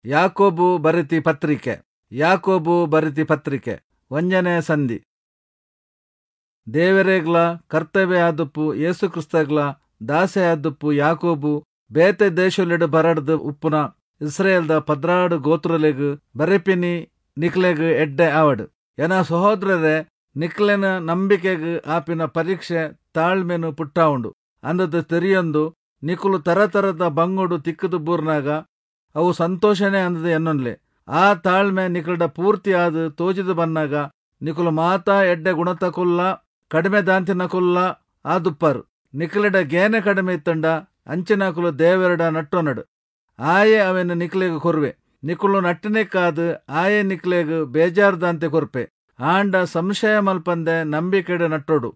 ಯಾಕೋಬು ಬರೆತಿ ಪತ್ರಿಕೆ. ಯಾಕೋಬು ಬರೆತಿ ಪತ್ರಿಕೆ 1ನೇ ಸಂಧಿ. ದೇವರೇಗ್ಲ ಕರ್ತವ್ಯ ಆದುಪ್ಪು ಯೇಸು ಕ್ರಿಸ್ತಗ್ಲ ದಾಸೆ ಆದುಪ್ಪು ಯಾಕೋಬು ಬೇತೆ ದೇಶೊಲೆಡು ಬರಡ್ದು ಉಪ್ಪುನ ಇಸ್ರೇಲ್ದ 12 ಗೋತ್ರಲೆಗ್ ಬರೆಪಿನಿ ನಿಕ್ಲೆಗ್ ಎಡ್ಡೆ ಆವಡ್. ಎನ ಸಹೋದರರೇ, ನಿಕ್ಲೆನ ನಂಬಿಕೆಗ್ ಆಪಿನ ಪರೀಕ್ಷೆ ತಾಳ್ಮೆನು ಪುಟ್ಟಾವುಂಡು ಅಂದದ ತೆರಿಯೊಂದು ನಿಕುಲು ತರತರದ ಬಂಗುಡು ತಿಕ್ಕದು ಬೂರ್ನಾಗ ಅವು ಸಂತೋಷನೇ ಅಂದದ ಎನ್ನೊನ್ಲೆ. ಆ ತಾಳ್ಮೆ ನಿಕಲ್ಡ ಪೂರ್ತಿ ಆದ್ ತೋಜಿದು ಬನ್ನಾಗ ನಿಕುಲು ಮಾತಾ ಎಡ್ಡೆ ಗುಣತಕುಲ್ಲ ಕಡಿಮೆ ದಾಂತಿನಕುಲ್ಲ ಆದುಪ್ಪರು. ನಿಕಲೆಡ ಗೇನೆ ಕಡಿಮೆ ಇತ್ತಂಡ ಅಂಚಿನಕುಲು ದೇವರಡ ನಟ್ಟೊನಡು, ಆಯೆ ಅವೆನ್ ನಿಕ್ಲೆಗ್ ಕೊರ್ವೆ. ನಿಕುಲು ನಟ್ಟಿನೆಕ್ಕಾದ್ ಆಯೆ ನಿಕ್ಲೆಗ್ ಬೇಜಾರ್ದಾಂತೆ ಕೊರ್ಪೆ. ಆಂಡ ಸಂಶಯ ಮಲ್ಪಂದೆ ನಂಬಿಕೆಡ್ ನಟ್ಟೊಡು.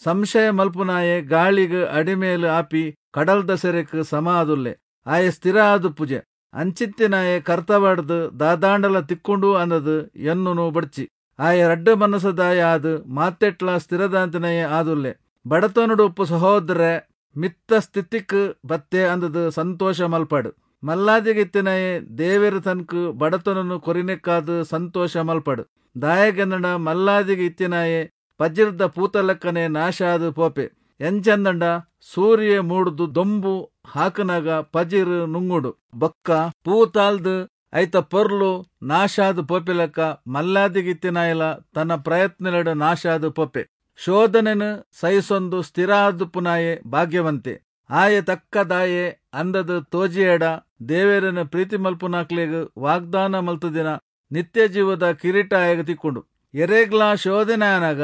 ಸಂಶಯ ಮಲ್ಪುನಾಯೆ ಗಾಳಿಗ್ ಅಡಿಮೇಲು ಆಪಿ ಕಡಲ್ದ ಸೆರೆಕ್ ಸಮ ಆದುಲ್ಲೆ, ಆಯೆ ಸ್ಥಿರ ಆದುಪ್ಪುಜೆ. ಅಂಚಿತ್ತಿನಾಯೆ ಕರ್ತವಾಡ್ದು ದಾದಾಂಡಲ ತಿಕ್ಕೊಂಡು ಅಂದದು ಎನ್ನುನು ಬಡ್ಚಿ. ಆಯೆ ರಡ್ಡು ಮನಸ್ಸದಾಯ ಆದ್ ಮಾತೆಟ್ಲ ಸ್ಥಿರದಾಂತಿನಯೇ ಆದುಲ್ಲೆ. ಬಡತನಡು ಉಪ್ಪು ಸಹೋದರೇ, ಮಿತ್ತ ಸ್ಥಿತಿಕ್ ಬತ್ತೆ ಅಂದದು ಸಂತೋಷ ಮಲ್ಪಾಡು. ಮಲ್ಲಾದಿಗಿತ್ತಿನಯೇ ದೇವೆರು ತನ್ಕು ಬಡತನನು ಕೊರಿನೆಕ್ಕಾದ್ ಸಂತೋಷ ಮಲ್ಪಾಡು. ದಾಯಗೆಂದಂಡ ಮಲ್ಲಾದಿಗೆ ಇತ್ತಿನಾಯೆ ಪಜಿರ್ದ ಪೂತಲೆಕ್ಕನೆ ನಾಶ ಆದ್ ಪೋಪೆ. ಎಂಚಂದಂಡ ಸೂರ್ಯ ಮೂಡ್ದು ದೊಂಬು ಹಾಕನಾಗ ಪಜಿರ್ ನುಂಗುಡು ಬೊಕ್ಕ ಪೂತಾಲ್ದು ಐತ ಪೊರ್ಲು ನಾಶಾದ್ ಪೋಪಿಲೆಕ್ಕ ಮಲ್ಲಾದಿಗಿತ್ತಿನಾಯಲ ತನ್ನ ಪ್ರಯತ್ನಲೆಡು ನಾಶಾದ್ ಪೋಪೆ. ಶೋಧನೆನು ಸಹಿಸೊಂದು ಸ್ಥಿರ ಆದುಪ್ಪುನಾಯೆ ಭಾಗ್ಯವಂತೆ. ಆಯೆ ತಕ್ಕದಾಯೆ ಅಂದದು ತೋಜಿಯೇಡ ದೇವೆರನ್ನು ಪ್ರೀತಿ ಮಲ್ಪುನಾಕ್ಲೆಗ್ ವಾಗ್ದಾನ ಮಲ್ತುದಿನ ನಿತ್ಯ ಜೀವದ ಕಿರೀಟ ಆಯಗ ತಿಕ್ಕೊಂಡು. ಎರೆಗ್ಲಾ ಶೋಧನೆ ಆನಾಗ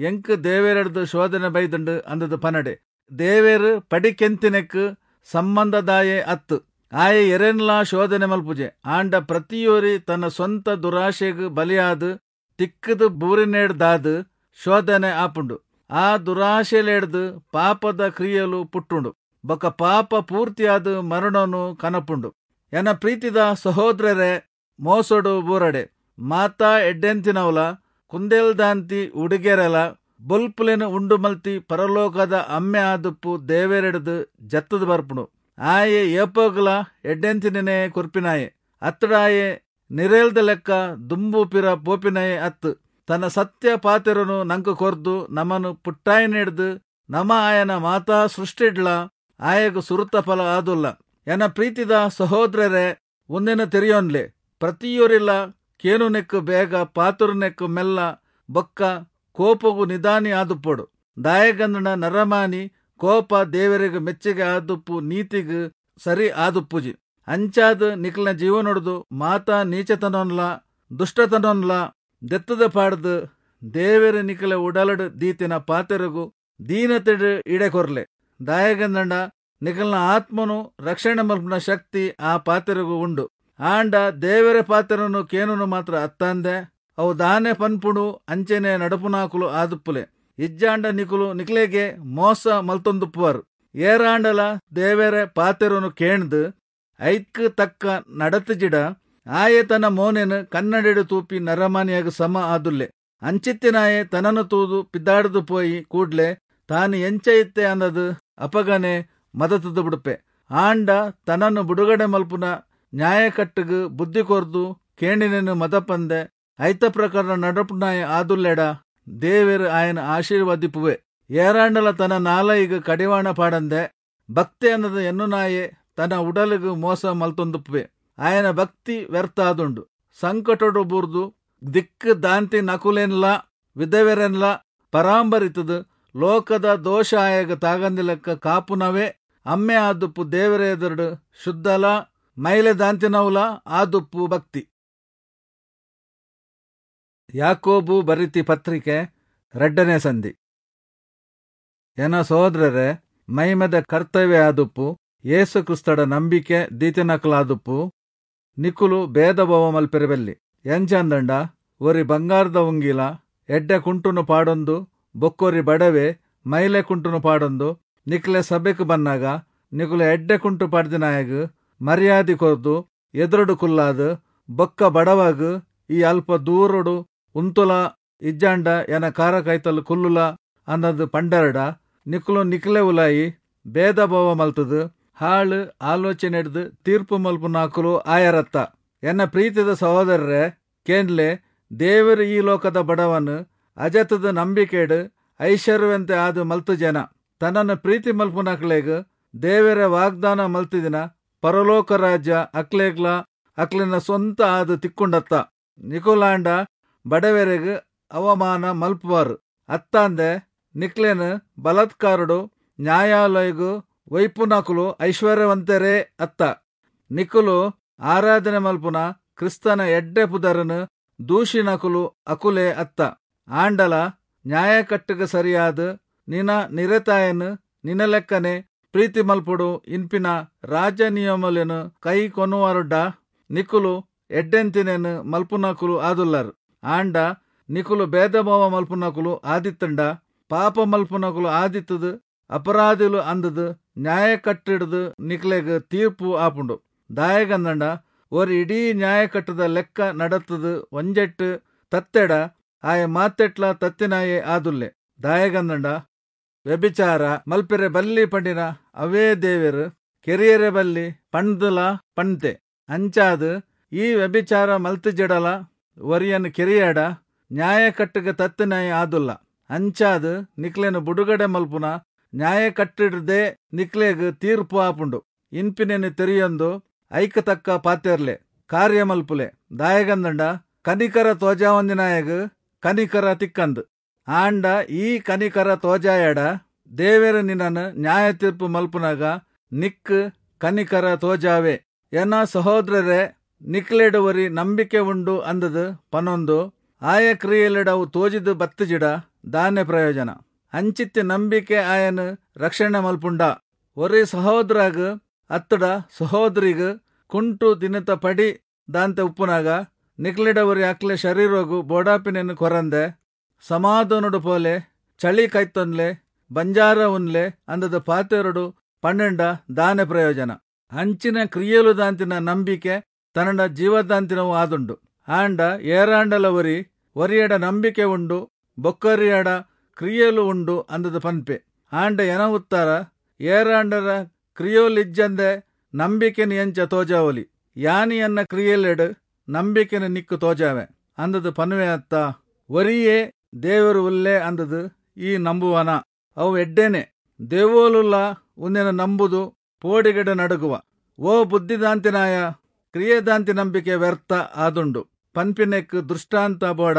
ಎಂಕ್ ದೇವೆರಡ್ದು ಶೋಧನೆ ಬೈದುಂಡು ಅಂದದು ಪನಡೆ. ದೇವೆರು ಪಡಿಕೆಂತಿನೆಕ್ ಸಂಬಂಧದಾಯೆ ಅತ್ತು, ಆಯೆ ಎರೆನ್ಲಾ ಶೋಧನೆ ಮಲ್ಪುಜೆ. ಆಂಡ ಪ್ರತಿಯೋರಿ ತನ್ನ ಸ್ವಂತ ದುರಾಶೆಗ್ ಬಲಿಯಾದ್ ತಿಕ್ಕದು ಬೂರಿನೇಡ್ದಾದ್ ಶೋಧನೆ ಆಪುಂಡು. ಆ ದುರಾಶೆಲೆಡ್ದು ಪಾಪದ ಕ್ರಿಯೆಲು ಪುಟ್ಟುಂಡು, ಬೊಕ ಪಾಪ ಪೂರ್ತಿಯಾದ ಮರಣನು ಕನಪುಂಡು. ಎನ ಪ್ರೀತಿದ ಸಹೋದರರೇ, ಮೋಸೊಡು ಬೂರಡೆ. ಮಾತಾ ಎಡ್ಡೆಂತಿನವಲ ಕುಂದೆಲ್ದಾಂತಿ ಉಡುಗೆರೆಲ ಬೊಲ್ಪುಲೆನ್ ಉಂಡು ಮಲ್ತಿ ಪರಲೋಕದ ಅಮ್ಮೆ ಆದುಪ್ಪು ದೇವೆರೆಡ್ದು ಜತ್ತದು ಬರ್ಪುಂಡು. ಆಯೆ ಏಪೋಗ್ಲ ಎಡ್ಡೆಂತಿನೇ ಕೊರ್ಪಿನಾಯೆ ಅತ್ತಡಾಯೆ ನಿರೇಲ್ದ ಲೆಕ್ಕ ದುಂಬು ಪಿರ ಪೋಪಿನಾಯೆ ಅತ್ತು. ತನ್ನ ಸತ್ಯ ಪಾತೆರನು ನಂಕು ಕೊರ್ದು ನಮನು ಪುಟ್ಟಾಯನೆಡ್ದು ನಮ ಆಯನ ಮಾತಾ ಸೃಷ್ಟಿಡ್ಲ ಆಯಗ್ ಸುರುತ ಫಲ ಆದುಲ್ಲ. ಎನ ಪ್ರೀತಿದ ಸಹೋದರರೇ, ಒಂದಿನ ತೆರಿಯೋನ್ಲೆ, ಪ್ರತಿಯೊರಿಲ ಕೇನುನೆಕ್ಕು ಬೇಗ, ಪಾತುರನೆಕ್ಕು ಮೆಲ್ಲ, ಬೊಕ್ಕ ಕೋಪಗು ನಿಧಾನಿ ಆದುಪ್ಪೊಡು. ದಾಯಗಂದನ ನರಮಾನಿ ಕೋಪ ದೇವರಿಗೆ ಮೆಚ್ಚುಗೆ ಆದುಪ್ಪು ನೀತಿಗ್ ಸರಿ ಆದುಪ್ಪುಜಿ. ಅಂಚಾದ್ ನಿಕ್ಲನ ಜೀವನೊಡ್ದು ಮಾತಾ ನೀಚತನೊನ್ಲ ದುಷ್ಟತನೊನ್ಲ ದೆತ್ತದ ಪಾಡ್ದು ದೇವೆರ ನಿಕ್ಲೆ ಉಡಲಡು ದೀತಿನ ಪಾತೆರಗು ದೀನತೆಡು ಇಡೆ ಕೊರ್ಲೆ. ದಾಯಗಂದಂಡ ನಿಕಲ್ನ ಆತ್ಮನು ರಕ್ಷಣೆ ಮಲ್ಪುನ ಶಕ್ತಿ ಆ ಪಾತೆರಗು ಉಂಡು. ಆಂಡ ದೇವರ ಪಾತೆರನು ಕೇನುನು ಮಾತ್ರ ಅತ್ತಂದೆ ಅವು ದಾನೆ ಪನ್ಪುಡು ಅಂಚೆನೆ ನಡಪುನಾಕುಲು ಆದುಪ್ಪುಲೆ. ಇಜ್ಜಾಂಡ ನಿಕುಲು ನಿಕ್ಲೆಗೆ ಮೋಸ ಮಲ್ತೊಂದುಪ್ಪುವರು. ಏರಾಂಡಲ ದೇವರ ಪಾತೆರನು ಕೇಣ್ದು ಐಕ್ ತಕ್ಕ ನಡತುಜಿಡ ಆಯೆ ತನ್ನ ಮೋನೆನು ಕನ್ನಡಿಡು ತೂಪಿ ನರಮಾನಿಯಾಗ ಸಮ ಆದುಲ್ಲೆ. ಅಂಚಿತ್ತಿನಾಯೆ ತನನು ತೂದು ಪಿದ್ದಾಡ್ದು ಪೋಯಿ ಕೂಡ್ಲೆ ತಾನು ಎಂಚ ಇತ್ತೆ ಅಂದದು ಅಪಗನೆ ಮದತದು ಬಿಡುಪೆ. ಆಂಡ ತನನ್ನು ಬಿಡುಗಡೆ ಮಲ್ಪುನ ನ್ಯಾಯಕಟ್ಟುಗು ಬುದ್ಧಿ ಕೊರ್ದು ಕೇಣಿನೆನು ಮದಪಂದೆ ಐತ ಪ್ರಕಾರ ನಡಪುನಾಯ ಆದುಲ್ಲೆಡ ದೇವೆರು ಆಯನ ಆಶೀರ್ವಾದಿಪುವೆ. ಏರಾಂಡಲ ತನ್ನ ನಾಲೈಗ್ ಕಡಿವಾಣ ಪಾಡಂದೆ ಭಕ್ತಿ ಅನ್ನದ ಎನ್ನುನಾಯೆ ತನ್ನ ಉಡಲಿಗು ಮೋಸ ಮಲ್ತೊಂದುಪ್ಪುವೆ. ಆಯನ ಭಕ್ತಿ ವ್ಯರ್ಥ ಆದುಂಡು. ಸಂಕಟೊಡು ಬೂರ್ದು ದಿಕ್ಕು ದಾಂತಿ ನಕುಲೆನ್ಲ ವಿಧವೆರೆನ್ಲ ಪರಾಂಬರಿತದು ಲೋಕದ ದೋಷ ಆಯಗ ತಾಗಂದಿಲೆಕ್ಕ ಕಾಪುನವೇ ಅಮ್ಮೆ ಆದುಪ್ಪು ದೇವರ ಎದುರುಡು ಶುದ್ಧಲ ಮೈಲೆ ದಾಂತಿನವುಲ ಆದುಪ್ಪು ಭಕ್ತಿ. ಯಾಕೋಬು ಬರಿತಿ ಪತ್ರಿಕೆ 2ನೇ ಸಂಧಿ. ಎನ ಸಹೋದರರೇ, ಮೈಮದ ಕರ್ತವ್ಯ ಆದುಪ್ಪು ಯೇಸು ಕ್ರಿಸ್ತಡ ನಂಬಿಕೆ ದೀತಿನಕಲಾದುಪ್ಪು ನಿಕುಲು ಭೇದ ಭಾವ ಮಲ್ಪೆರಬೆಲ್ಲಿ. ಎಂಚಂದಂಡ ಒರಿ ಬಂಗಾರದ ಉಂಗಿಲ ಎಡ್ಡೆ ಕುಂಟುನು ಪಾಡೊಂದು ಬೊಕ್ಕೊರಿ ಬಡವೆ ಮೈಲೆ ಕುಂಟುನು ಪಾಡೊಂದು ನಿಕ್ಲೆ ಸಭೆಕ್ ಬನ್ನಾಗ ನಿಕುಲು ಎಡ್ಡೆ ಕುಂಟು ಪಾಡ್ದಿನಾಯಗ್ ಮರ್ಯಾದೆ ಕೊರ್ದು ಎದುರುಡು ಕುಲ್ಲಾದ್ ಬೊಕ್ಕ ಬಡವಾಗ ಈ ಅಲ್ಪ ದೂರಡು ಉಂತುಲ ಇಜ್ಜಾಂಡ ಎನ ಕಾರ ಕೈತಲ್ ಕುಲ್ಲುಲ ಅನ್ನದು ಪಂಡರಡ ನಿಕುಲು ನಿಕ್ಲೆ ಉಲಾಯಿ ಭೇದ ಭಾವ ಮಲ್ತದು ಹಾಳು ಆಲೋಚನೆ ಹಿಡ್ದು ತೀರ್ಪು ಮಲ್ಪುನಾಕುಲು ಆಯರತ್ತ. ಎನ್ನ ಪ್ರೀತಿದ ಸಹೋದರರೇ, ಕೇನ್ಲೆ, ದೇವರು ಈ ಲೋಕದ ಬಡವನು ಅಜತದ ನಂಬಿಕೆಡು ಐಶ್ವರ್ಯವಂತೆ ಆದು ಮಲ್ತು ಜನ. ತನ್ನನ್ನು ಪ್ರೀತಿ ಮಲ್ಪುನಕ್ಲೆಗ್ ದೇವರ ವಾಗ್ದಾನ ಮಲ್ತಿದಿನ ಪರಲೋಕ ರಾಜ್ಯ ಅಕ್ಲೆಗ್ಲ ಅಕ್ಲೆನ ಸ್ವಂತ ಆದು ತಿಕ್ಕೊಂಡತ್ತ. ನಿಕುಲಾಂಡ ಬಡವರೆಗ್ ಅವಮಾನ ಮಲ್ಪುವಾರು ಅತ್ತಾಂದೆ ನಿಕ್ಲೆನ್ ಬಲಾತ್ಕಾರಡು ನ್ಯಾಯಾಲಯಗು ವೈಪುನಕುಲು ಐಶ್ವರ್ಯವಂತರೇ ಅತ್ತ. ನಿಕುಲು ಆರಾಧನೆ ಮಲ್ಪುನ ಕ್ರಿಸ್ತನ ಎಡ್ಡೆ ಪುದರನು ದೂಷಿನಕುಲು ಅಕುಲೆ ಅತ್ತ. ಆಂಡಲ ನ್ಯಾಯಕಟ್ಟುಗೆ ಸರಿಯಾದ ನಿನ ನಿರತಾಯನು ನಿನ ಲೆಕ್ಕನೆ ಪ್ರೀತಿ ಮಲ್ಪುಡು ಇನ್ಪಿನ ರಾಜ ನಿಯಮಲೆನು ಕೈ ಕೊನುವರುಡ್ಡ ನಿಕುಲು ಎಡ್ಡೆಂತಿನೇನು ಮಲ್ಪುನಕುಲು ಆದುಲ್ಲರು. ಆಂಡ ನಿಕುಲು ಭೇದಭಾವ ಮಲ್ಪುನಕುಲು ಆದಿತ್ತಂಡ ಪಾಪ ಮಲ್ಪುನಕುಲು ಆದಿತ್ತದು ಅಪರಾಧಿಲು ಅಂದದು ನ್ಯಾಯ ಕಟ್ಟಿಡ್ದು ನಿಕ್ಲೆಗ್ ತೀರ್ಪು ಆಪುಂಡು. ದಾಯಗಂದಂಡ ಒರಿ ಇಡೀ ನ್ಯಾಯಕಟ್ಟದ ಲೆಕ್ಕ ನಡತದು ಒಂಜೆಟ್ಟು ತತ್ತೆಡ ಆಯ ಮಾತೆಟ್ಲ ತತ್ತಿನಾಯೆ ಆದುಲ್ಲೆ. ದಾಯಗಂದಂಡ ವ್ಯಭಿಚಾರ ಮಲ್ಪೆರೆ ಬಲ್ಲಿ ಪಂಡಿನ ಅವೇ ದೇವೆರು ಕೆರಿಯರೆ ಬಲ್ಲಿ ಪಂಡ್ದಲ ಪಂತೆ. ಅಂಚಾದು ಈ ವ್ಯಭಿಚಾರ ಮಲ್ತಿಜಡಲ ಒರಿಯನ್ ಕೆರಿಯಾಡ ನ್ಯಾಯಕಟ್ಟುಗೆ ತತ್ತಿನಾಯ ಆದುಲ್ಲ. ಅಂಚಾದು ನಿಕ್ಲೆನು ಬುಡುಗಡೆ ಮಲ್ಪುನ ನ್ಯಾಯ ಕಟ್ಟಿಡದೆ ನಿಕ್ಲೆಗ್ ತೀರ್ಪು ಆಪುಂಡು. ಇನ್ಪಿನೆನು ತೆರಿಯೊಂದು ಐಕ ತಕ್ಕ ಪಾತೆರ್ಲೆ ಕಾರ್ಯ ಮಲ್ಪುಲೆ. ದಾಯಗಂದಂಡ ಕನಿಕರ ತೋಜಾವಂದಿನಾಯಗ್ ಕನಿಕರ ತಿಕ್ಕಂದು. ಆಂಡ ಈ ಕನಿಕರ ತೋಜಾಯಡ ದೇವೆರ ನಿನ್ನನ್ನು ನ್ಯಾಯ ತೀರ್ಪು ಮಲ್ಪುನಾಗ ನಿಕ್ ಕನಿಕರ ತೋಜಾವೆ. ಎನ್ನ ಸಹೋದರರೇ, ನಿಕ್ಲೆಡುವರಿ ನಂಬಿಕೆ ಉಂಡು ಅಂದದು ಪನೊಂದು ಆಯ ಕ್ರಿಯೆಲೆಡವು ತೋಜಿದು ಬತ್ತಜಿಡ ದಾನೆ ಪ್ರಯೋಜನ. ಅಂಚಿತ್ತಿ ನಂಬಿಕೆ ಆಯನು ರಕ್ಷಣೆ ಮಲ್ಪುಂಡ. ಒರಿ ಸಹೋದರಾಗ ಅತ್ತಡ ಸಹೋದರಿಗ ಕುಂಟು ದಿನತ ಪಡಿ ದಾಂತೆ ಉಪ್ಪುನಾಗ ನಿಕ್ಲೆಡವರಿ ಅಕ್ಲೆ ಶರೀರಗು ಬೋಡಾಪಿನೆನ್ನು ಕೊರಂದೆ ಸಮಾಧಾನಡು ಪೋಲೆ ಚಳಿ ಕೈತೊನ್ಲೆ ಬಂಜಾರ ಉನ್ಲೆ ಅಂದದ ಪಾತೆರಡು ಪನ್ನೆಂಡ ದಾನೆ ಪ್ರಯೋಜನ. ಅಂಚಿನ ಕ್ರಿಯೆಲು ದಾಂತಿನ ನಂಬಿಕೆ ತನ್ನಡ ಜೀವದಾಂತಿನವು ಆದುಂಡು. ಆಂಡ ಏರಾಂಡಲ ಒರಿ ಒರಿಯಡ ನಂಬಿಕೆ ಉಂಡು ಬೊಕ್ಕರಿಯಡ ಕ್ರಿಯೆಲು ಉಂಡು ಅಂದದ ಪನ್ಪೆ. ಆಂಡ ಎನ ಉತ್ತರ ಏರಾಂಡರ ಕ್ರಿಯೋಲಿಜ್ಜಂದೆ ನಂಬಿಕೆನ ಎಂಚ ತೋಜಾವಲಿ. ಯಾನಿಯನ್ನ ಕ್ರಿಯೆಲೆಡು ನಂಬಿಕೆನ ನಿಕ್ಕು ತೋಜಾವೆ ಅಂದದು ಪನ್ವೆ ಅತ್ತ. ಒರಿಯೇ ದೇವರು ಉಲ್ಲೆ ಅಂದದು ಈ ನಂಬುವನ ಅವು ಎಡ್ಡೇನೆ. ದೇವೋಲುಲ್ಲ ಉನ್ನೆನ ನಂಬುದು ಪೋಡಿಗಡ ನಡುಗುವ. ಓ ಬುದ್ಧಿದಾಂತಿನಾಯ, ಕ್ರಿಯೆದಾಂತಿ ನಂಬಿಕೆ ವ್ಯರ್ಥ ಆದುಂಡು ಪನ್ಪಿನೆಕ್ ದೃಷ್ಟಾಂತ ಬೋಡ.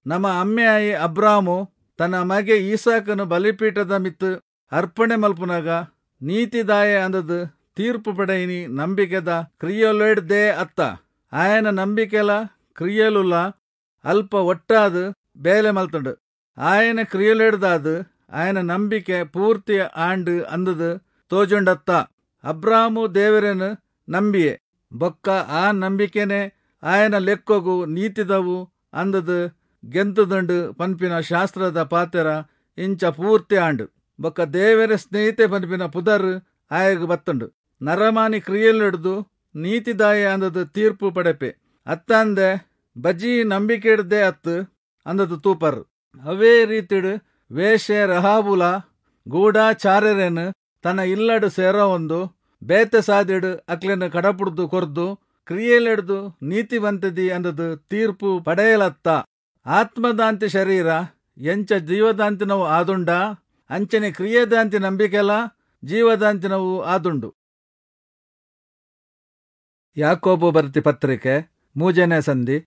ನಮ್ಮ ಅಮ್ಮೆಯಾಯಿ ಅಬ್ರಾಮು ತನ್ನ ಮಗೆ ಈಸಾಕನು ಬಲಿಪೀಠದ ಮಿತ್ತು ಅರ್ಪಣೆ ಮಲ್ಪುನಾಗ ನೀತಿದಾಯ ಅಂದದು ತೀರ್ಪು ಪಡೆಯಿನಿ ನಂಬಿಕೆದ ಕ್ರಿಯೆಲೊಡ್ದೇ ಅತ್ತ. ಆಯನ ನಂಬಿಕೆಲ ಕ್ರಿಯೆಲುಲ್ಲ ಅಲ್ಪ ಒಟ್ಟಾದು ಬೇಲೆ ಮಲ್ತುಂಡು. ಆಯನ ಕ್ರಿಯೆಲೆಡ್ದಾದು ಆಯನ ನಂಬಿಕೆ ಪೂರ್ತಿ ಆಂಡು ಅಂದದು ತೋಜುಂಡತ್ತ. ಅಬ್ರಾಮು ದೇವರನ್ನು ನಂಬಿಯೆ ಬೊಕ್ಕ ಆ ನಂಬಿಕೆನೆ ಆಯನ ಲೆಕ್ಕೊಗು ನೀತಿದವು ಅಂದದು ಗೆಂತುದಂಡು ಪನ್ಪಿನ ಶಾಸ್ತ್ರದ ಪಾತೆರ ಇಂಚ ಪೂರ್ತಿ ಆಂಡು. ಬೊಕ್ಕ ದೇವರ ಸ್ನೇಹಿತೆ ಪನ್ಪಿನ ಪುದರ್ ಆಯಗ್ ಬತ್ತುಂಡು. ನರಮಾನಿ ಕ್ರಿಯೆಲಿಡ್ದು ನೀತಿದಾಯ ಅಂದದು ತೀರ್ಪು ಪಡೆಪೆ ಅತ್ತಂದೆ ಬಜಿ ನಂಬಿಕೆ ಹಿಡ್ದೆ ಅತ್ತು ಅಂದದು ತೂಪರ್. ಅವೇ ರೀತಿಡು ವೇಷೆ ರಹಾಬುಲ ಗೂಢಾಚಾರ್ಯರೇನು ತನ್ನ ಇಲ್ಲಡು ಸೇರೋ ಒಂದು ಬೇತೆ ಸಾದಿಡು ಅಕ್ಲೆನ ಕಡಪುಡ್ದು ಕೊರ್ದು ಕ್ರಿಯೆಲೆಡ್ದು ನೀತಿವಂತದಿ ಅಂದದು ತೀರ್ಪು ಪಡೆಯಲತ್ತ. ಆತ್ಮದಾಂತಿ ಶರೀರ ಎಂಚ ಜೀವದಾಂತಿನವು ಆದುಂಡ ಅಂಚನೆ ಕ್ರಿಯೆದಾಂತಿ ನಂಬಿಕೆಲ ಜೀವದಾಂತಿನವು ಆದುಂಡು. ಯಾಕೋಬು ಬರ್ತಿ ಪತ್ರಿಕೆ 3ನೇ ಸಂಧಿ.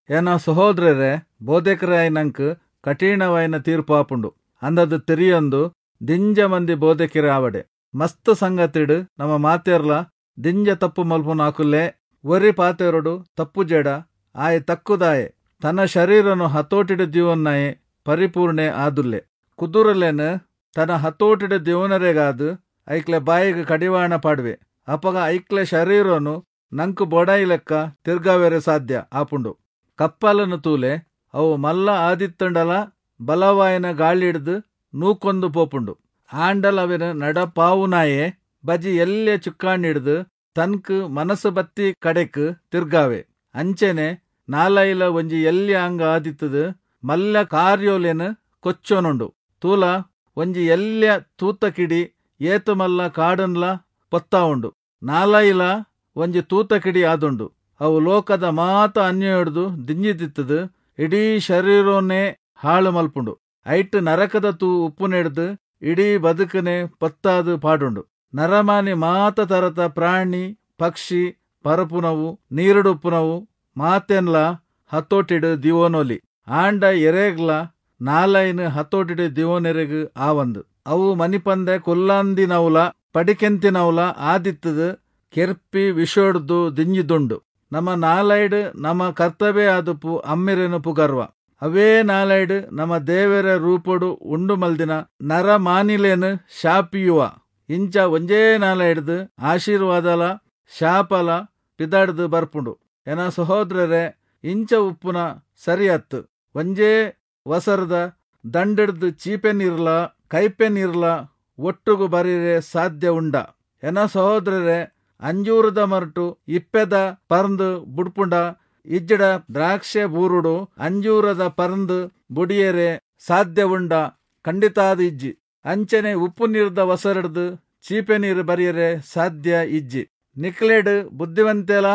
ಏನ ಸಹೋದರರೇ, ಬೋಧಕರಾಯಿನಂಕ್ ಕಠಿಣವಾಯಿನ ತೀರ್ಪು ಆಪುಂಡು ಅಂದದು ತೆರಿಯೊಂದು ದಿಂಜ ಮಂದಿ ಬೋಧಕರೇ ಆವಡೆ. ಮಸ್ತ್ ಸಂಗತಿಡು ನಮ್ಮ ಮಾತೆರ್ಲ ದಿಂಜ ತಪ್ಪು ಮಲ್ಪುನಾಕುಲೆ. ಒರಿ ಪಾತೆರಡು ತಪ್ಪು ಜಡ ಆಯೆ ತಕ್ಕುದಾಯೆ ತನ್ನ ಶರೀರನು ಹತೋಟಿಡು ದಿವನ್ನಾಯೆ ಪರಿಪೂರ್ಣೆ ಆದುಲ್ಲೆ. ಕುದುರಲೆನು ತನ್ನ ಹತೋಟಿಡು ದಿವನರೆಗಾದು ಐಕ್ಲೆ ಬಾಯಿಗೆ ಕಡಿವಾಣ ಪಾಡುವೆ. ಅಪಗ ಐಕ್ಲೆ ಶರೀರನು ನಂಕು ಬೋಡಾಯಿ ಲೆಕ್ಕ ತಿರ್ಗಾವೆರೆ ಸಾಧ್ಯ ಆಪುಂಡು. ಕಪ್ಪಲನು ತೂಲೆ ಅವು ಮಲ್ಲ ಆದಿತ್ತಂಡಲ ಬಲವಾಯನ ಗಾಳಿಡ್ದು ನೂಕೊಂದು ಪೋಪುಂಡು. ಆಂಡಲ ಅವಿನ ನಡಪಾವುನಾಯೆ ಬಜಿ ಎಲ್ಲೆ ಚುಕ್ಕಾಣಿಡ್ದು ತನ್ಕ್ ಮನಸ್ಸು ಬತ್ತಿ ಕಡೆಕ್ ತಿರ್ಗಾವೆ. ಅಂಚೆನೆ ನಾಲೈಲ ಒಂಜಿ ಎಲ್ಯ ಅಂಗ ಆದಿತ್ತದು ಮಲ್ಲ ಕಾರ್ಯೋಲೆನು ಕೊಚ್ಚೋನುಂಡು. ತೂಲ ಒಂಜಿ ಎಲ್ಯ ತೂತ ಕಿಡಿ ಏತು ಮಲ್ಲ ಕಾಡನ್ಲ ಪೊತ್ತಾ ಉಂಡು. ನಾಲೈಲ ಒಂಜಿ ತೂತಕಿಡಿ ಆದುಂಡು. ಅವು ಲೋಕದ ಮಾತ ಅನ್ಯಾಯೊಡ್ದು ದಿಂಜಿದಿತ್ತುದು ಇಡೀ ಶರೀರೊನೇ ಹಾಳು ಮಲ್ಪುಂಡು. ಐಟ್ ನರಕದ ತೂ ಉಪ್ಪುನೆಡ್ದು ಇಡೀ ಬದುಕನೆ ಪೊತ್ತಾದ್ ಪಾಡುಂಡು. ನರಮಾನಿ ಮಾತ ತರತ ಪ್ರಾಣಿ ಪಕ್ಷಿ ಪರಪುನವು ನೀರುಡುಪ್ಪುನವು ಮಾತೆನ್ಲ ಹತೋಟಿಡ್ ದಿವೊನೊಲಿ. ಆಂಡ ಎರೆಗ್ಲ ನಾಲೈನ್ ಹತೋಟಿಡ್ ದಿವೊನೆರೆಗ್ ಆವಂದ್. ಅವು ಮನಿಪಂದೆ ಕುಲ್ಲಂದಿನವುಲ ಪಡಿಕೆಂತಿನವುಲ ಆದಿತ್ತುದು ಕೆರ್ಪಿ ವಿಷೊಡ್ದು ದಿಂಜಿದುಂಡು. ನಮ ನಾಲೈಡ್ ನಮ ಕರ್ತವೆ ಆದುಪ್ಪು ಅಮ್ಮೆರೆನ್ ಪುಗರ್ವ. ಅವೇ ನಾಲೈಡ್ ನಮ ದೇವೆರೆ ರೂಪೊಡು ಉಂಡು ಮಲ್ದಿನ ನರಮಾನಿಲೆನ್ ಶಾಪಿಯುವ. ಇಂಚ ಒಂಜೇ ನಾಲೈಡ್ದ್ ಆಶೀರ್ವಾದಲ ಶಾಪಲ ಪಿದಾಡ್ದ್ ಬರ್ಪುಂಡು. ಎನ ಸಹೋದ್ರೆರೇ, ಇಂಚ ಉಪ್ಪುನ ಸರಿ ಅತ್ತ್. ಒಂಜೇ ವಸರ್ದ ದಂಡ್‌ಡ್ದ್ ಚೀಪೆ ನೀರ್ಲ ಕೈಪೆ ನೀರ್ಲ ಒಟ್ಟುಗು ಬರಿಯೆರೆ ಸಾಧ್ಯ ಉಂಡಾ? ಎನ ಸಹೋದ್ರೆರೇ, ಅಂಜೂರದ ಮರಟು ಇಪ್ಪೆದ ಪರ್ಂದ್ ಬುಡ್ಪುಂಡ ಇಜ್ಜಿಡ ದ್ರಾಕ್ಷೆ ಬೂರುಡು ಅಂಜೂರದ ಪರ್ಂದ್ ಬುಡಿಯೆರೆ ಸಾಧ್ಯ ಉಂಡಾ? ಖಂಡಿತಾದ್ ಇಜ್ಜಿ. ಅಂಚನೆ ಉಪ್ಪು ನೀರ್ದ ವಸರ್‌ಡ್ದ್ ಚೀಪೆ ನೀರು ಬರಿಯೆರೆ ಸಾಧ್ಯ ಇಜ್ಜಿ. ನಿಕ್ಲೆಡ್ ಬುದ್ಧಿವಂತೆಲ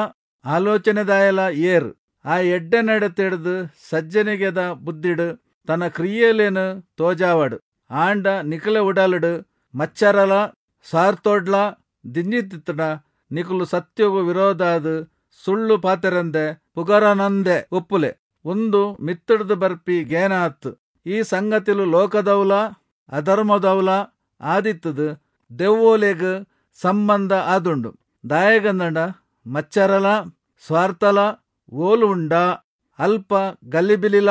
ಆಲೋಚನೆದಾಯೆಲ ಏರ್? ಆ ಎಡ್ಡೆ ನಡತೆಡ್ದ್ ಸಜ್ಜನಿಗೆದ ಬುದ್ಧಿಡ್ ತನ್ನ ಕ್ರಿಯೆಲೆನ್ ತೋಜಾವಡ್. ಆಂಡ ನಿಕ್ಲೆ ಉಡಲುಡು ಮಚ್ಚರಲ ಸ್ವಾರ್ಥೊಡ್ಲ ದಿಂಜಿದಿತ್ತ್ಂಡ ನಿಕುಲು ಸತ್ಯೊಗು ವಿರೋಧಾದ್ ಸುಳ್ಳು ಪಾತೆರಂದೆ ಪುಗರೊನಂದೆ ಉಪ್ಪುಲೆ. ಉಂದು ಮಿತ್ತ್‌ಡ್ದ್ ಬರ್ಪಿ ಗೇನ ಅತ್ತ್. ಈ ಸಂಗತಿಲು ಲೋಕದವುಲ ಅಧರ್ಮದವುಲ ಆದಿತ್ತುದು ದೆವ್ವೊಲೆಗ್ ಸಂಬಂಧ ಆದುಂಡು. ದಾಯೆಗಂದ್ಂಡ ಮಚ್ಚರಲ ಸ್ವಾರ್ಥಲ ಓಲು ಉಂಡಾ ಅಲ್ಪ ಗಲಿಬಿಲಿಲ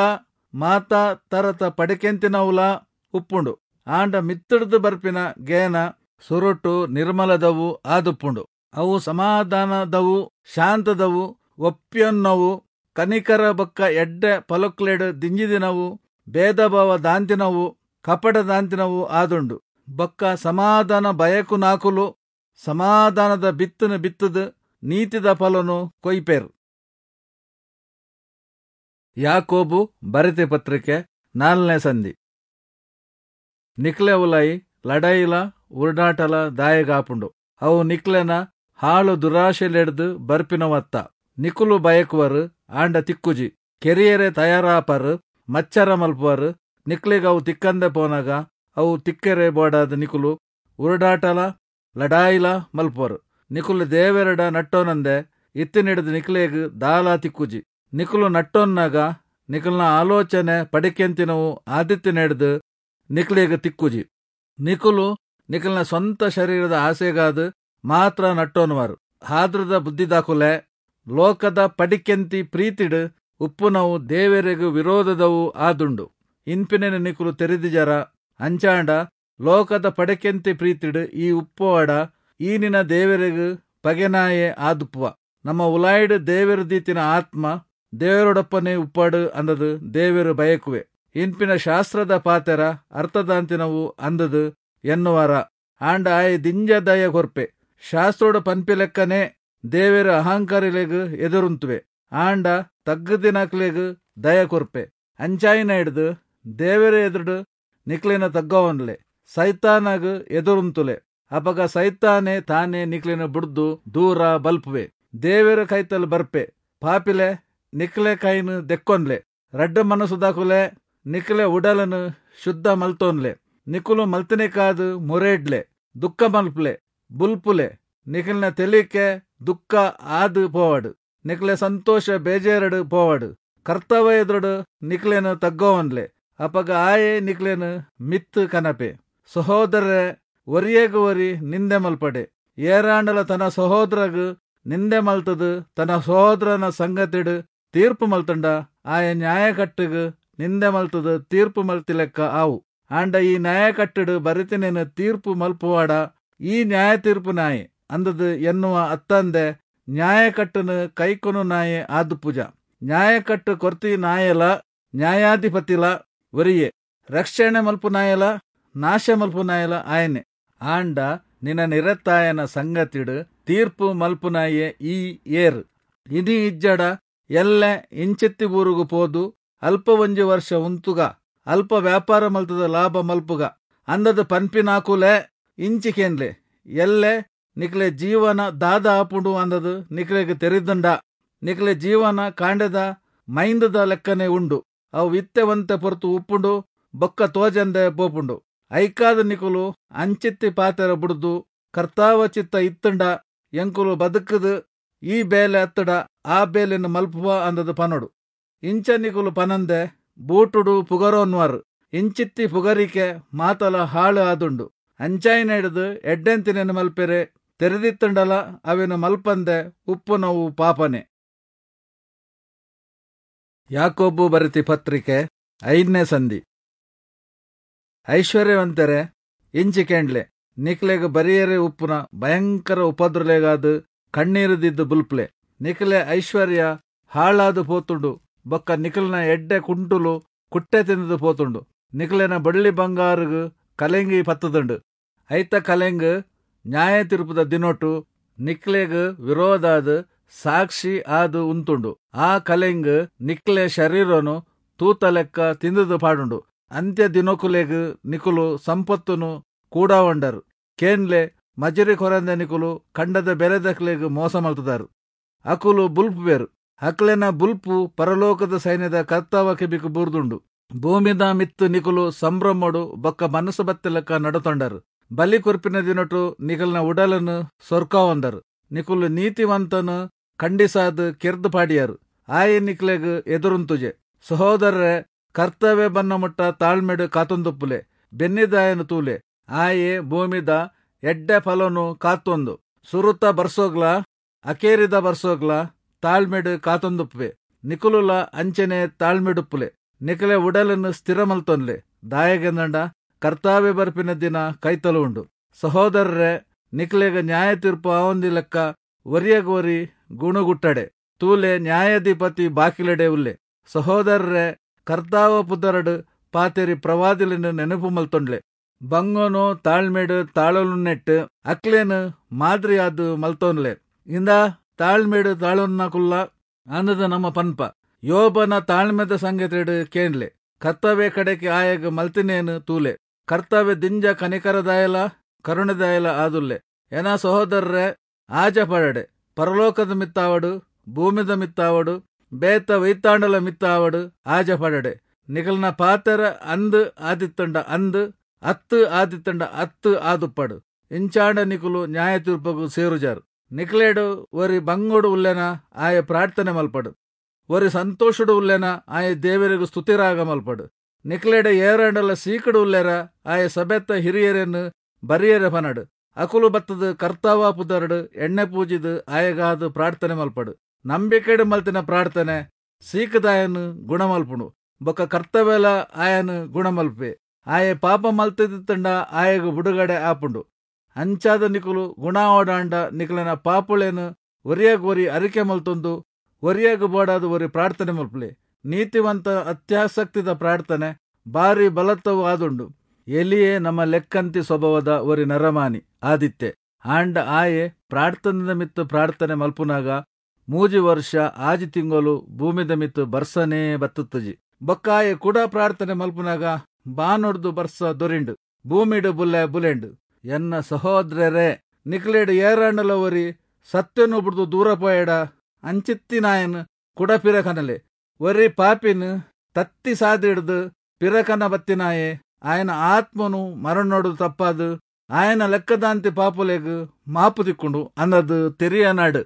ಮಾತಾ ತರತ ಪಡಿಕೆಂತಿನವುಲ ಉಪ್ಪುಂಡು. ಆಂಡ ಮಿತ್ತ್‌ಡ್ದ್ ಬರ್ಪಿನ ಗೇನ ಸುರುಟು ನಿರ್ಮಲದವು ಆದುಪ್ಪುಂಡು. ಅವು ಸಮಾಧಾನದವು, ಶಾಂತದವು, ಒಪ್ಪಿಯೊನ್ನವು, ಕನಿಕರ ಬೊಕ್ಕ ಎಡ್ಡೆ ಫಲೊಕ್ಲೆಡ್ ದಿಂಜಿದಿನವು, ಭೇದಭಾವ ದಾಂತಿನವು, ಕಪಟ ದಾಂತಿನವು ಆದುಂಡು. ಬೊಕ್ಕ ಸಮಾಧಾನ ಬಯಕುನಾಕುಲು ಸಮಾಧಾನದ ಬಿತ್ತುನು ಬಿತ್ತುದು ನೀತಿದ ಫಲೊನು ಕೊಯ್ಪೆರ್. ಯಾಕೋಬು ಬರೆತಿ ಪತ್ರಿಕೆ 4ನೇ ಸಂಧಿ. ನಿಕ್ಲೆ ಉಲಾಯಿ ಲಡಾಯಿಲ ಉರುಡಾಟಲ ದಾಯೆಗಾಪುಂಡು. ಅವು ನಿಕ್ಲೆನ ಹಾಳು ದುರಾಶೆಲೆಡ್ದ್ ಬರ್ಪಿನವತ್ತ. ನಿಕುಲು ಬಯಕುವರು ಆಂಡ ತಿಕ್ಕುಜಿ. ಕೆರಿಯೆರೆ ತಯಾರಾಪರ್, ಮಚ್ಚರ ಮಲ್ಪುವರು. ನಿಕ್ಲೆಗ್ ಅವು ತಿಕ್ಕಂದೆ ಪೋನಗ ಅವು ತಿಕ್ಕೆರೆ ಬೋಡಾದ್ ನಿಕುಲು ಉರುಡಾಟಲ ಲಡಾಯಿಲ ಮಲ್ಪುವರು. ನಿಕುಲು ದೇವೆರೆಡ ನಟ್ಟೊನಂದೆ ಇತ್ತಿನೆಡ್ದ್ ನಿಕ್ಲೆಗ್ ದಾಲ ತಿಕ್ಕುಜಿ. ನಿಕುಲು ನಟ್ಟೊನ್ನಾಗ ನಿಕಲ್ನ ಆಲೋಚನೆ ಪಡಿಕೆಂತಿನವು ಆದಿತ್ತಿನೆಡ್ದ್ ನಿಕ್ಲೆಗ್ ತಿಕ್ಕುಜಿ. ನಿಕುಲು ನಿಕಲ್ನ ಸ್ವಂತ ಶರೀರದ ಆಸೆಗಾದ್ ಮಾತ್ರ ನಟ್ಟೊನುವರು. ಹಾದ್ರದ ಬುದ್ಧಿದಾಕುಲೆ, ಲೋಕದ ಪಡಿಕೆಂತಿ ಪ್ರೀತಿಡ್ ಉಪ್ಪುನವು ದೇವೆರೆಗ್ ವಿರೋಧದವು ಆದುಂಡು ಇನ್ಪಿನೆನ್ ನಿಕುಲು ತೆರಿದಿಜರ? ಅಂಚಾಂಡ ಲೋಕದ ಪಡಿಕೆಂತಿ ಪ್ರೀತಿಡ್ ಈ ಉಪ್ಪುವಡ ಈ ನಿನ ದೇವೆರೆಗ್ ಪಗೆನಾಯೆ ಆದುಪ್ಪುವ. ನಮ್ಮ ಉಲಾಯಿಡ್ ದೇವೆರು ದೀತಿನ ಆತ್ಮ ದೇವರೊಡಪ್ಪನೆ ಉಪ್ಪಡು ಅಂದದು ದೇವೆರು ಬಯಕುವೆ ಇನ್ಪಿನ ಶಾಸ್ತ್ರದ ಪಾತೆರ ಅರ್ಥದಾಂತಿನವು ಅಂದದು ಎನ್ನುವರ. ಆಂಡ ಆಯೆ ದಿಂಜ ದಯ ಕೊರ್ಪೆ. ಶಾಸ್ತ್ರೋಡು ಪನ್ಪಿಲೆಕ್ಕನೆ ದೇವೆರು ಅಹಂಕಾರಿಲೆಗ್ ಎದುರುಂತುವೆ, ಆಂಡ ತಗ್ಗುದಿನಕ್ಲೆಗ್ ದಯ ಕೊರ್ಪೆ. ಅಂಚಾಯಿನ ಹಿಡ್ದು ದೇವೆರ ಎದುರುಡು ನಿಕ್ಲೆನ ತಗ್ಗವನ್ಲೆ, ಸೈತಾನಗ್ ಎದುರುಂತುಲೆ. ಅಪಗ ಸೈತಾನೆ ತಾನೇ ನಿಕ್ಲೆನ ಬುಡ್ದು ದೂರ ಬಲ್ಪುವೆ. ದೇವೆರ ಕೈತಲ್ ಬರ್ಪೆ. ಪಾಪಿಲೆ, ನಿಕ್ಲೆ ಕೈನ್ ದೆಕ್ಕೊನ್ಲೆ. ರಡ್ಡ ಮನಸ್ಸುದಾಕುಲೆ, ನಿಕ್ಲೆ ಉಡಲನು ಶುದ್ಧ ಮಲ್ತೋನ್ಲೆ. ನಿಕುಲು ಮಲ್ತಿನೆಕಾದ್ ಮೊರೆಡ್ಲೆ, ದುಃಖ ಮಲ್ಪುಲೆ, ಬುಲ್ಪುಲೆ. ನಿಕ್ಲೆನ ತೆಲಿಕೆ ದುಃಖ ಆದ್ ಪೋವಡ್, ನಿಕ್ಲೆ ಸಂತೋಷ ಬೇಜಾರಡ್ ಪೋವಡ್. ಕರ್ತವ ಎದುರುಡು ನಿಕ್ಲೆನ ತಗ್ಗೋವನ್ಲೆ, ಅಪಗ ಆಯೆ ನಿಕ್ಲೆನ ಮಿತ್ತು ಕನಪೆ. ಸಹೋದರರೇ, ಒರಿಯಗ್ ಒರಿ ನಿಂದೆ ಮಲ್ಪಡೆ. ಏರಾಂಡಲ ತನ್ನ ಸಹೋದರಗ್ ನಿಂದೆ ಮಲ್ತದು ತನ್ನ ಸಹೋದರನ ಸಂಗತಿಡ್ ತೀರ್ಪು ಮಲ್ತಂಡ ಆಯೆ ನ್ಯಾಯಕಟ್ಟುಗ್ ನಿಂದೆ ಮಲ್ತದು ತೀರ್ಪು ಮಲ್ತಿಲೆಕ್ಕ ಆವು. ಆಂಡ ಈ ನ್ಯಾಯಕಟ್ಟುಡು ಬರಿತಿನೇನು ತೀರ್ಪು ಮಲ್ಪುವಾಡ ಈ ನ್ಯಾಯ ತೀರ್ಪು ನಾಯೆ ಅಂದದು ಎನ್ನುವ ಅತ್ತಂದೆ ನ್ಯಾಯಕಟ್ಟುನು ಕೈಕೊನು ನಾಯೆ ಆದುಪೂಜ. ನ್ಯಾಯಕಟ್ಟು ಕೊರ್ತಿ ನಾಯಲ ನ್ಯಾಯಾಧಿಪತಿಲ ಒರಿಯೆ, ರಕ್ಷಣೆ ಮಲ್ಪು ನಾಯಲ ನಾಶ ಮಲ್ಪು ನಾಯಲ ಆಯನೆ. ಆಂಡ ನಿನ್ನ ನಿರತ್ತಾಯನ ಸಂಗತಿಡು ತೀರ್ಪು ಮಲ್ಪುನಾಯೆ ಈ ಏರ್? ಇನಿ ಇಜ್ಜಡ ಎಲ್ಲೆ ಇಂಚೆತ್ತಿ ಊರುಗು ಪೋದು ಅಲ್ಪ ಒಂಜಿ ವರ್ಷ ಉಂತುಗ, ಅಲ್ಪ ವ್ಯಾಪಾರ ಮಲ್ತದ ಲಾಭ ಮಲ್ಪುಗ ಅಂದದ ಪನ್ಪಿನಾಕುಲೆ ಇಂಚಿಕೆನ್ಲೆ. ಎಲ್ಲೆ ನಿಕ್ಲೆ ಜೀವನ ದಾದ ಆಪುಂಡು ಅಂದದು ನಿಕ್ಲೆಗ್ ತೆರಿದುಂಡ. ನಿಕ್ಲೆ ಜೀವನ ಕಾಂಡೆದ ಮೈಂದದ ಲೆಕ್ಕನೆ ಉಂಡು. ಅವು ಇತ್ತೆ ಒಂತೆ ಪೊರ್ತು ಉಪ್ಪುಂಡು, ಬೊಕ್ಕ ತೋಜಂದೆ ಪೋಪುಂಡು. ಐಕಾದ ನಿಕುಲು ಅಂಚಿತ್ತಿ ಪಾತೆರ ಬುಡ್ದು ಕರ್ತಾವ ಚಿತ್ತ ಇತ್ತುಂಡ ಎಂಕುಲು ಬದುಕುದು ಈ ಬೇಲೆ ಅತ್ತಡ ಆ ಬೇಲೆನ್ ಮಲ್ಪುವ ಅಂದದು ಪನೊಡು. ಇಂಚ ನಿಕುಲು ಪನಂದೆ ಬೂಟುಡು ಪುಗರೋನ್ವಾರ್. ಇಂಚಿತ್ತಿ ಪುಗರಿಕೆ ಮಾತಲ ಹಾಳು ಆದುಂಡು. ಅಂಚಾಯಿನೆಡ್ದ್ ಎಡ್ಡೆಂತಿನೆನ್ ಮಲ್ಪೆರೆ ತೆರೆದಿತ್ತುಂಡಲ ಅವೆನ್ ಮಲ್ಪಂದೆ ಉಪ್ಪುನವು ಪಾಪನೆ. ಯಾಕೋಬು ಬರೆತಿ ಪತ್ರಿಕೆ 5ನೇ ಸಂಧಿ. ಐಶ್ವರ್ಯವಂತರೆ, ಇಂಚಿ ಕೇಂಡ್ಲೆ, ನಿಕ್ಲೆಗ್ ಬರಿಯರೆ ಉಪ್ಪುನ ಭಯಂಕರ ಉಪದ್ರಲೆಗಾದ್ ಕಣ್ಣೀರುದಿದ್ದು ಬುಲ್ಪ್ಲೆ. ನಿಕ್ಲೆ ಐಶ್ವರ್ಯ ಹಾಳಾದು ಪೋತುಂಡು, ಬೊಕ್ಕ ನಿಕ್ಲೆನ ಎಡ್ಡೆ ಕುಂಟುಲು ಕುಟ್ಟೆ ತಿಂದದು ಪೋತುಂಡು. ನಿಕ್ಲೆನ ಬಳ್ಳಿ ಬಂಗಾರುಗು ಕಲೆಂಗಿ ಪತ್ತದುಂಡು. ಐತ ಕಲೆಂಗ್ ನ್ಯಾಯ ತೀರ್ಪುದ ದಿನೊಟು ನಿಕ್ಲೆಗ್ ವಿರೋಧಾದ್ ಸಾಕ್ಷಿ ಆದ್ ಉಂತುಂಡು. ಆ ಕಲೆಂಗ್ ನಿಕ್ಲೆ ಶರೀರನು ತೂತ ಲೆಕ್ಕ ತಿಂದದು ಪಾಡುಂಡು. ಅಂತ್ಯ ದಿನೊಕುಲೆಗ್ ನಿಕುಲು ಸಂಪತ್ತುನು ಕೂಡಾವಂಡರು. ಕೇನ್ಲೆ, ಮಜಿರಿ ಕೊರಂದೆ ನಿಕುಲು ಕಂಡದ ಬೆಲೆದಕ್ಲೆಗ್ ಮೋಸ ಮಲ್ತದಾರು. ಅಕುಲು ಬುಲ್ಪುವೆರು. ಅಕ್ಲೆನ ಬುಲ್ಪು ಪರಲೋಕದ ಸೈನ್ಯದ ಕರ್ತಾವ ಕೆಬಿಕ್ ಬೂರ್ದುಂಡು. ಭೂಮಿದ ಮಿತ್ತು ನಿಕುಲು ಸಂಭ್ರಮೊಡು ಬೊಕ್ಕ ಮನಸ್ಸು ಬತ್ತಿಲೆಕ್ಕ ನಡತೊಂಡರು. ಬಲಿ ಕೊರ್ಪಿನ ದಿನೊಟು ನಿಕಲ್ನ ಉಡಲನ್ನು ಸೊರ್ಕಾವಂದರು. ನಿಕುಲು ನೀತಿವಂತನು ಖಂಡಿಸಾದ್ ಕೆರ್ದು ಪಾಡಿಯಾರು. ಆಯೆ ನಿಕ್ಲೆಗ್ ಎದುರುಂತುಜೆ. ಸಹೋದರರೇ, ಕರ್ತವ್ಯ ಬನ್ನ ಮುಟ್ಟ ತಾಳ್ಮೆಡು ಕಾತೊಂದುಪ್ಪುಲೆ. ಬೆನ್ನಿದಾಯನು ತೂಲೆ, ಆಯೆ ಭೂಮಿದ ಎಡ್ಡೆ ಫಲನು ಕಾತೊಂದು ಸುರುತ ಬರ್ಸೋಗ್ಲ ಅಕೇರಿದ ಬರ್ಸೋಗ್ಲ ತಾಳ್ಮೆಡು ಕಾತೊಂದುಪ್ಪುವೆ. ನಿಕುಲುಲ ಅಂಚನೆ ತಾಳ್ಮೆಡುಪ್ಪುಲೆ. ನಿಕಲೆ ಉಡಲನ್ನು ಸ್ಥಿರ ಮಲ್ತೊನ್ಲೆ. ದಾಯೆಗೆಂದಂಡ ಕರ್ತಾವ್ಯ ಬರ್ಪಿನ ದಿನ ಕೈತಲು ಉಂಡು. ಸಹೋದರರೇ, ನಿಕ್ಲೆಗ್ ನ್ಯಾಯ ತೀರ್ಪು ಆವಂದಿ ಲೆಕ್ಕ ಒರಿಯಗೋರಿ ಗುಣಗುಟ್ಟಡೆ. ತೂಲೆ, ನ್ಯಾಯಾಧಿಪತಿ ಬಾಕಿಲೆಡೆ ಉಲ್ಲೆ. ಸಹೋದರರೇ, ಕರ್ತಾವ ಪುದರಡು ಪಾತೆರಿ ಪ್ರವಾದಿಲೆನ್ ನೆನಪು ಮಲ್ತೊಂಡ್ಲೆ. ಬಂಗೋನು ತಾಳ್ಮೆಡು ತಾಳಲುನೆಟ್ಟು ಅಕ್ಲೇನು ಮಾದರಿಯಾದ್ ಮಲ್ತೊನ್ಲೆ. ಇಂದ ತಾಳ್ಮೆಡು ತಾಳೊನ್ನ ಕುಲ್ಲ ಅಂದದ ನಮ್ಮ ಪನ್ಪ. ಯೋಬನ ತಾಳ್ಮೆದ ಸಂಗತಿಡು ಕೇನ್ಲೆ. ಕರ್ತವ್ಯ ಕಡೆಗೆ ಆಯಗ್ ಮಲ್ತಿನೇನು ತೂಲೆ. ಕರ್ತವ್ಯ ದಿಂಜ ಕನಿಕರದಾಯಲ ಕರುಣದಾಯಲ ಆದುಲ್ಲೆ. ಏನ ಸಹೋದರರೇ, ಆಜ ಪಡಡೆ. ಪರಲೋಕದ ಮಿತ್ತಾವಡು, ಭೂಮಿದ ಮಿತ್ತಾವಡು, ಬೇತ ವೈತಾಂಡಲ ಮಿತ್ತಾವಡು ಆಜ ಪಡಡೆ. ನಿಕಲ್ನ ಪಾತೆರ ಅಂದ್ ಆದಿತ್ತಂಡ ಅಂದ್, ಅತ್ತು ಆದಿತ್ತಂಡ ಅತ್ತು ಆದುಪ್ಪಡು. ಇಂಚಾಂಡ ನಿಕುಲು ನ್ಯಾಯ ತೀರ್ಪಗು ಸೇರುಜಾರು. ನಿಕ್ಲೇಡು ಒರಿ ಬಂಗೋಡು ಉಲ್ಲೆನ ಆಯ ಪ್ರಾರ್ಥನೆ ಮಲ್ಪಡು. ಒರಿ ಸಂತೋಷಡು ಉಲ್ಲೆನ ಆಯ ದೇವರಿಗೂ ಸ್ತುತಿರಾಗ ಮಲ್ಪಡು. ನಿಕ್ಲೇಡ ಏರಾಂಡಲ ಸೀಕಡು ಉಲ್ಲೆರ ಆಯ ಸಭೆತ್ತ ಹಿರಿಯರನ್ನು ಬರಿಯರೆ ಪನಡು. ಅಕುಲು ಬತ್ತದು ಕರ್ತಾವ ಪುದರಡು ಎಣ್ಣೆ ಪೂಜಿದು ಆಯಗಾದು ಪ್ರಾರ್ಥನೆ ಮಲ್ಪಡು. ನಂಬಿಕೆಡು ಮಲ್ತಿನ ಪ್ರಾರ್ಥನೆ ಸೀಕದಾಯನು ಗುಣಮಲ್ಪುಣು. ಬೊಕ್ಕ ಕರ್ತವ್ಯಲ ಆಯನು ಗುಣಮಲ್ಪೆ. ಆಯೆ ಪಾಪ ಮಲ್ತಿದ್ದಂಡ ಆಯಗು ಬಿಡುಗಡೆ ಆಪುಂಡು. ಅಂಚಾದ ನಿಕುಲು ಗುಣ ಓಡಾಂಡ ನಿಕಲನ ಪಾಪುಳೇನು ಒರಿಯಾಗ ಒರಿ ಅರಿಕೆ ಮಲ್ತೊಂದು ಒರಿಯಾಗ ಬೋಡಾದ ಒರಿ ಪ್ರಾರ್ಥನೆ ಮಲ್ಪಲೆ. ನೀತಿವಂತ ಅತ್ಯಾಸಕ್ತಿದ ಪ್ರಾರ್ಥನೆ ಬಾರಿ ಬಲತ್ತವು ಆದುಂಡು. ಎಲಿಯೇ ನಮ್ಮ ಲೆಕ್ಕಂತಿ ಸ್ವಭಾವದ ಒರಿ ನರಮಾನಿ ಆದಿತ್ತೆ. ಆಂಡ ಆಯೆ ಪ್ರಾರ್ಥನೆದ ಮಿತ್ತು ಪ್ರಾರ್ಥನೆ ಮಲ್ಪುನಾಗ 3 ವರ್ಷ 6 ತಿಂಗಳು ಭೂಮಿದ ಮಿತ್ತು ಬರ್ಸನೇ ಬತ್ತುತ್ತುಜಿ. ಬೊಕ್ಕಾಯೆ ಕೂಡ ಪ್ರಾರ್ಥನೆ ಮಲ್ಪುನಾಗ ಬಾನೊಡ್ದು ಬರ್ಸ ದೊರಿಂಡು, ಭೂಮಿಡು ಬುಲ್ಲೆ ಬುಲೆಂಡು. ಎನ್ನ ಸಹೋದರರೇ, ನಿಕ್ಲೇಡು ಏರಾಂಡಲ ಒರಿ ಸತ್ಯನು ಬಿಡ್ದು ದೂರ ಪೋಯಡ ಅಂಚಿತ್ತಿನಾಯನ್ ಕುಡ ಪಿರಕನಲೆ. ಒರಿ ಪಾಪಿನ್ ತತ್ತಿ ಸಾದಿಡ್ದು ಪಿರಕನ ಬತ್ತಿನಾಯೆ ಆಯನ ಆತ್ಮನು ಮರಣೋಡು ತಪ್ಪಾದು ಆಯನ ಲೆಕ್ಕದಾಂತಿ ಪಾಪುಲೆಗ್ ಮಾಪು ತಿಕ್ಕೊಂಡು ಅನ್ನದು ತೆರಿಯನಾಡು.